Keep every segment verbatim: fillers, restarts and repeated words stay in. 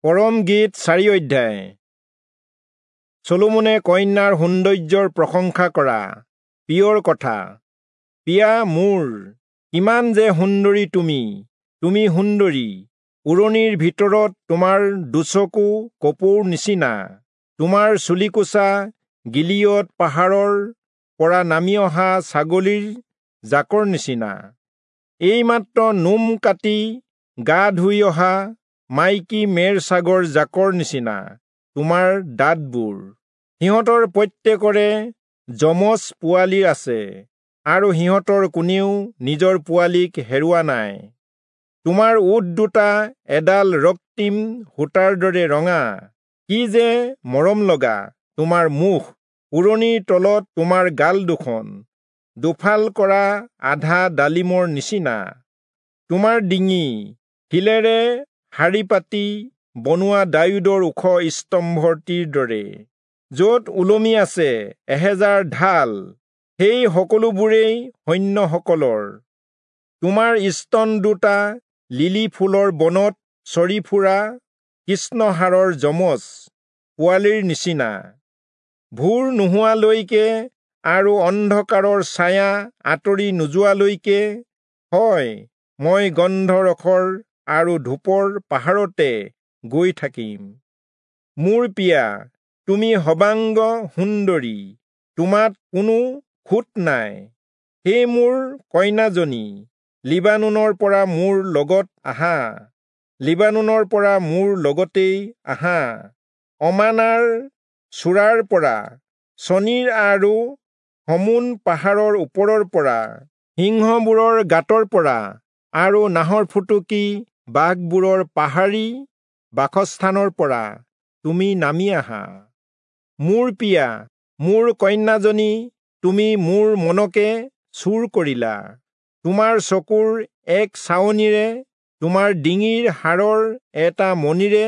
পৰম গীত চাৰি অধ্যায়। চলোমনে কন্যাৰ সৌন্দৰ্যৰ প্ৰশংসা কৰা প্ৰিয়ৰ কথা। প্ৰিয়া মোৰ, কিমান যে সুন্দৰী তুমি, তুমি সুন্দৰী। উৰণিৰ ভিতৰত তোমাৰ দুচকু কপৌৰ নিচিনা। তোমাৰ চুলিকোচা গিলিয়দ পাহাৰৰ পৰা নামি অহা ছাগলীৰ জাকৰ নিচিনা। এইমাত্ৰ নোম কাটি গা ধুই অহা মাইকী মেৰ ছাগৰ জাকৰ নিচিনা তোমাৰ দাঁতবোৰ। সিহঁতৰ প্ৰত্যেকৰে যমজ পোৱালি আছে, আৰু সিহঁতৰ কোনেও নিজৰ পোৱালিক হেৰুৱা নাই। তোমাৰ ওঁঠ দুটা এডাল ৰক্তিম সূতাৰ দৰে ৰঙা। কি যে মৰম লগা তোমাৰ মুখ! উৰণিৰ তলত তোমাৰ গাল দুখন দুফাল কৰা আধা ডালিমৰ নিচিনা। তোমাৰ ডিঙি শিলেৰে শাৰী পাতি বনোৱা দায়ূদৰ ওখ স্তম্ভটিৰ দৰে, য'ত ওলমি আছে এহেজাৰ ঢাল, সেই সকলোবোৰেই সৈন্যসকলৰ। তোমাৰ স্তন দুটা লিলি ফুলৰ বনত চৰি ফুৰা কৃষ্ণহাৰৰ যমজ পোৱালিৰ নিচিনা। ভোৰ নোহোৱালৈকে আৰু অন্ধকাৰৰ ছায়া আঁতৰি নোযোৱালৈকে, হয়, মই গন্ধৰসৰ আৰু ধূপৰ পাহাৰতে গৈ থাকিম। মোৰ প্ৰিয়া, তুমি সৰ্বাংগ সুন্দৰী, তোমাত কোনো খুঁত নাই। হে মোৰ কন্যাজনী, লিবানোনৰ পৰা মোৰ লগত আহা, লিবানোনৰ পৰা মোৰ লগতেই আহা। অমানাৰ চূড়াৰ পৰা, চনীৰ আৰু হমোন পাহাৰৰ ওপৰৰ পৰা, সিংহবোৰৰ গাঁতৰ পৰা আৰু নাহৰফুটুকী বাঘবোৰৰ পাহাৰী বাসস্থানৰ পৰা তুমি নামি আহা। মোৰ প্ৰিয়া, মোৰ কন্যাজনী, তুমি মোৰ মনকে চুৰ কৰিলা। তোমাৰ চকুৰ এক চাৱনিৰে, তোমাৰ ডিঙিৰ হাৰৰ এটা মণিৰে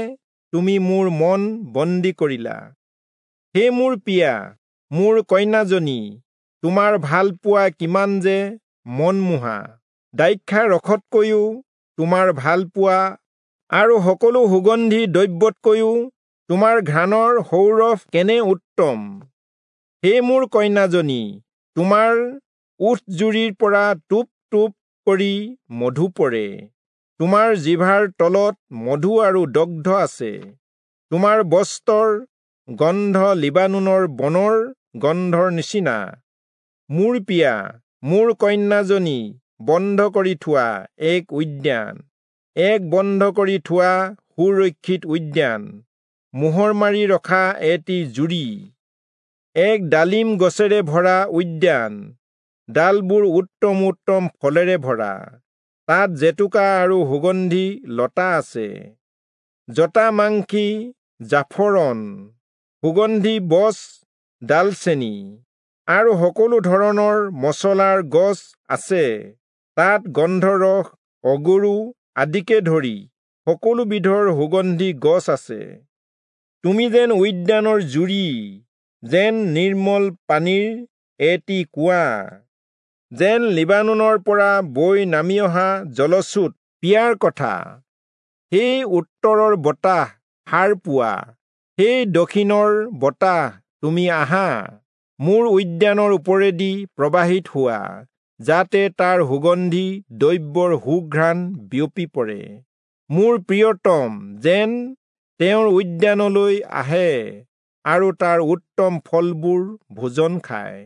তুমি মোৰ মন বন্দী কৰিলা। হে মোৰ প্ৰিয়া, মোৰ কন্যাজনী, তোমাৰ ভালপোৱা কিমান যে মনমোহা! দ্ৰাক্ষা ৰসতকৈও তোমাৰ ভালপোৱা আৰু সকলো সুগন্ধি দ্ৰব্যতকৈও তোমাৰ ঘ্ৰাণৰ সৌৰভ কেনে উত্তম! হে মোৰ কন্যাজনী, তোমাৰ ওঁঠজুৰিৰ পৰা টোপ টোপ কৰি মধু পৰে। তোমাৰ জিভাৰ তলত মধু আৰু দগ্ধ আছে। তোমাৰ বস্ত্ৰৰ গন্ধ লিবানোনৰ বনৰ গন্ধৰ নিচিনা। মোৰ প্ৰিয়া, মোৰ কন্যাজনী, বন্ধ কৰি থোৱা এক উদ্যান, এক বন্ধ কৰি থোৱা সুৰক্ষিত উদ্যান, মোহৰ মাৰি ৰখা এটি জুৰি, এক ডালিম গছেৰে ভৰা উদ্যান, ডালবোৰ উত্তম উত্তম ফলেৰে ভৰা। তাত জেতুকা আৰু সুগন্ধি লতা আছে, জটামাংসী জাফৰণ, সুগন্ধি বছ, ডালচেনি আৰু সকলো ধৰণৰ মচলাৰ গছ আছে। তাত গন্ধৰস, অগৰু আদিকে ধৰি সকলো বিধৰ সুগন্ধি গছ আছে। তুমি যেন উদ্যানৰ জুৰি, যেন নিৰ্মল পানীৰ এটি কুঁৱা, যেন লিবানোনৰ পৰা বৈ নামি অহা জলস্ৰোত। প্ৰিয়াৰ কথা। সেই উত্তৰৰ বতাহ, সাৰ পোৱা, সেই দক্ষিণৰ বতাহ, তুমি আহা, মোৰ উদ্যানৰ ওপৰেদি প্ৰবাহিত হোৱা, যাতে তাৰ সুগন্ধি দ্ৰব্যৰ সুঘ্ৰাণ বিয়পি পৰে। মোৰ প্ৰিয়তম যেন তেওঁৰ উদ্যানলৈ আহে আৰু তাৰ উত্তম ফলবোৰ ভোজন খায়।